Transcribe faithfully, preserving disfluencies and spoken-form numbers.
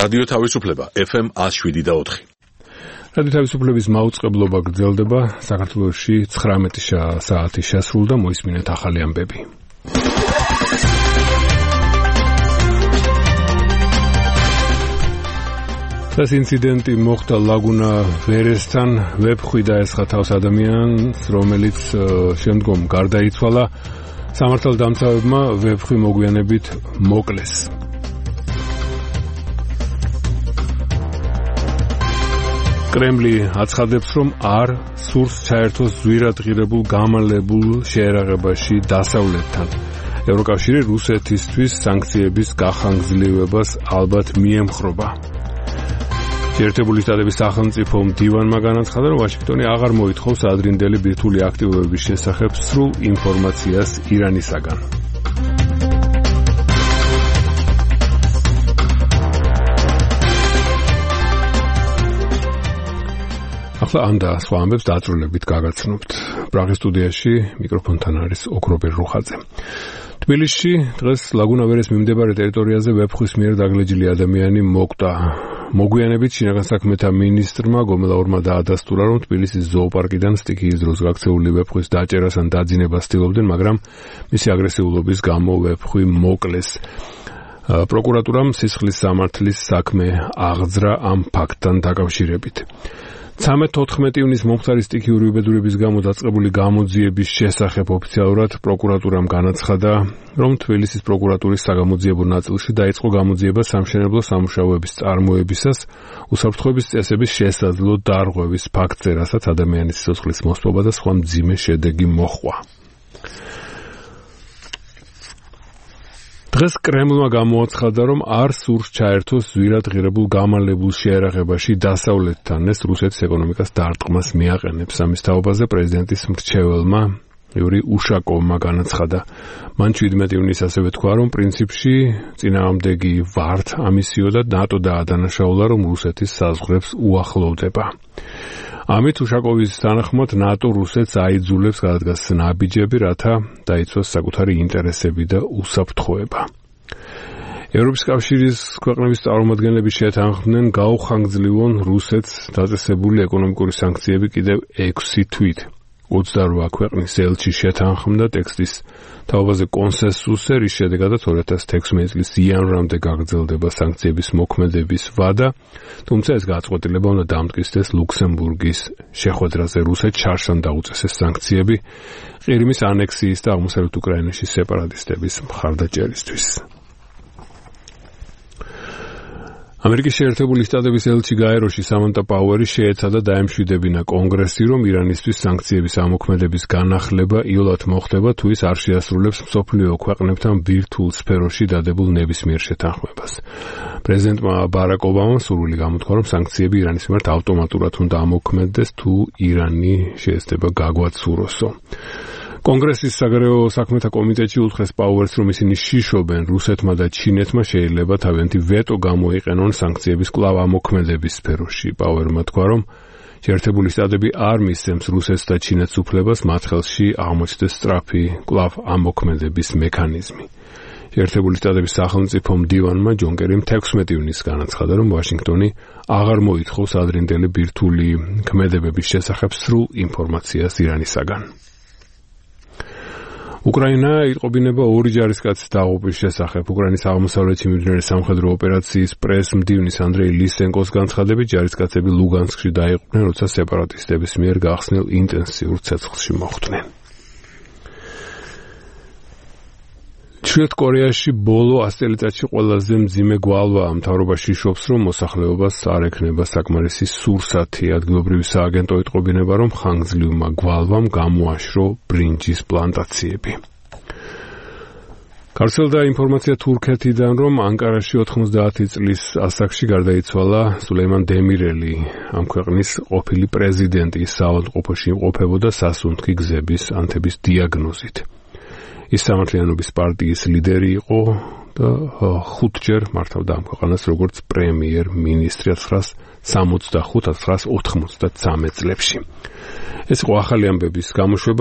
რადიო თავისუფლება ეფ ემ one oh seven და four. რადიო თავისუფლების მაუწყებლობა გრძელდება. საქართველოში ცხრამეტი საათი შესრულდა, მოისმინეთ ახალი ამბები. ეს ინციდენტი მოხდა ლაგუნა ვერესთან, ვებხვი დაესხა თავს ადამიანს, რომელიც შემდგომ გარდაიცვალა. სამართალდამცავებმა ვებხვი მოგვიანებით მოკლეს. კრემლი აცხადებს, რომ არ სურს ჩაერთოს ზვირადღირებულ გამალებულ შეერაღებაში დასავლეთთან. ევროკავშირი რუსეთისთვის სანქციების გახანგრძლივებას ალბათ მიემხრობა. შეერთებული შტატების სახელმწიფო მდივანმა განაცხადა, რომ ვაშინგტონი აღარ მოითხოვს ადრინდელი ბირთვული აქტივობების შესახებ სრულ ინფორმაციას ირანისაგან. ახლა ამ და სხვა ამბებს დაწვრილებით გაგაცნობთ. პრაღის სტუდიაში მიკროფონთან არის ოქრობერ რუხაძე. თბილისში დღეს ლაგუნა ვერეს მიმდებარე ტერიტორიაზე ვებხვის მიერ დაგლეჯილი ადამიანი მოკვდა. მოგვიანებით შინაგან საქმეთა მინისტრმა გომელაურმა დაადასტურა, რომ თბილისის ზოოპარკიდან სტიქიის დროს გაქცეული ვებხვის დაჭერას ან დაძინებას ცდილობდნენ, მაგრამ მისი აგრესიულობის გამო ვებხვი მოკლეს. პროკურატურამ სისხლის სამართლის საქმე აღძრა ამ ფაქტთან დაკავშირებით. ცხრამეტ-ოთხმეტი ივნის მომხდარი სტიქიური უბედურების გამო დაწყებული გამოძიების შესახებ ოფიციალურად პროკურატურამ განაცხადა, რომ თბილისის პროკურატურის საგამოძიებო ნაწილში დაიწყო გამოძიება სამშენებლო სამუშაოების წარმოებისას უსაფრთხოების წესების შესაძლო დარღვევის ფაქტზე, რასაც ადამიანის სიცოცხლის მოსპობა და სხვა მძიმე შედეგი მოჰყვა. დღეს კრემლმა გამოაცხადა, რომ არ სურს ჩაერთოს ზვირადღირებულ გამალებულ შეერაღებაში დასავლეთთან. ეს რუსეთის ეკონომიკას დარტყმას მიაყენებს. ამის თაობაზე პრეზიდენტის მრჩეველმა იური უშაკოვმა განაცხადა. მან შვიდმეტი ივნის ასევე თქვა, რომ პრინციპში წინააღმდეგი ვართ ამისიო და ნატო დაადანაშაულა, რომ რუსეთის საზღვრებს უახლოვდება. ამით უშაკოვის თანახმად ნატო რუსეთს აიძულებს გადადგას ნაბიჯები, რათა დაიცვას საკუთარი ინტერესები და უსაფრთხოება. ევროპის კავშირის ქვეყნების წარმომადგენლები შეთანხმდნენ გაუხანგრძლივონ რუსეთს დაწესებული ეკონომიკური სანქციები კიდევ ექვსი თვით. ოცდარვა ქვეყნის ელჩი შეთანხმდა ტექსტის თაობაზე კონსენსუსზე, რის შედეგადაც ორი ათას თექვსმეტი წლის იანვრამდე გაგრძელდება სანქციების მოქმედების ვადა, თუმცა ეს გაწყვეტილება უნდა დამტკიცდეს ლუქსემბურგის შეხვედრაზე. რუსეთს შარშან დაუწესეს სანქციები ყირიმის ანექსიის და აღმოსავლეთ უკრაინაში სეპარატისტების მხარდაჭერისთვის. ამერიკის შეერთებული შტატების ელჩი გაეროში სამანტა პაუერი შეეცადა დაემშვიდებინა კონგრესში, რომ ირანისთვის სანქციების ამოქმედების განახლება იოლად მოხდება, თუ ის არ შეასრულებს მსოფლიო ქვეყნებთან ბირთვულ სფეროში დადებულ ნებისმიერ შეთანხმებას. პრეზიდენტმა ბარაკ ობამამ სურვილი გამოთქვა, რომ სანქციები ირანის მიმართ ავტომატურად უნდა ამოქმედდეს, თუ ირანი შეეცდება გაგვაცუროსო. კონგრესის საგარეო საქმეთა კომიტეტში უთხრეს პაუერს, რომ ისინი შიშობენ რუსეთმა და ჩინეთმა შეიძლება თავიანთი ვეტო გამოიყენონ სანქციების კვლავ ამოქმედების სფეროში. პაუერმა თქვა, რომ შეერთებული შტატები არ მისცემს რუსეთს და ჩინეთს უფლებას მათ ხელში აღმოჩნდეს სწრაფი კვლავ ამოქმედების მექანიზმი. შეერთებული შტატების სახელმწიფო მდივანმა ჯონ კერიმ თექვსმეტი ივნის განაცხადა, რომ ვაშინგტონი აღარ მოითხოვს ადრინდელი ბირთვული ქმედებების შესახებ სრულ ინფორმაციას ირანისაგან. უკრაინა იტყობინება ორი ჯარისკაცის დაღუპვის შესახებ. უკრაინის აღმოსავლეთში მიმდინარე სამხედრო ოპერაციის პრეს-მდივნის ანდრეი ლისენკოს განცხადებით, ჯარისკაცები ლუგანსკში დაიღუპნენ, როცა სეპარატისტების მიერ გახსნილ ინტენსიურ ცეცხლში მოხვდნენ. ჩრდილოეთ კორეაში ბოლო ას წელიწადში ყველაზე მძიმე გვალვაა. მთავრობა შიშობს, რომ მოსახლეობას არ ექნება საკმარისი სურსათი. ადგილობრივი სააგენტო იტყობინება, რომ ხანგრძლივმა გვალვამ გამოაშრო ბრინჯის პლანტაციები. გავრცელდა ინფორმაცია თურქეთიდან, რომ ანკარაში ოთხმოცდაათი წლის ასაკში გარდაიცვალა სულეიმან დემირელი. ამ ქვეყნის ყოფილი პრეზიდენტი საავადმყოფოში იმყოფებოდა სასუნთქი გზების ანთების დიაგნოზით. ის სამართლიანობის პარტიის ლიდერი იყო და ხუთჯერ მართავდა ამ ქვეყანას როგორც პრემიერ-მინისტრი ათას სამოცდახუთ ათას ოთხმოცდათრამეტ წლებში. ეს იყო ახალი ამბების გამოშვება.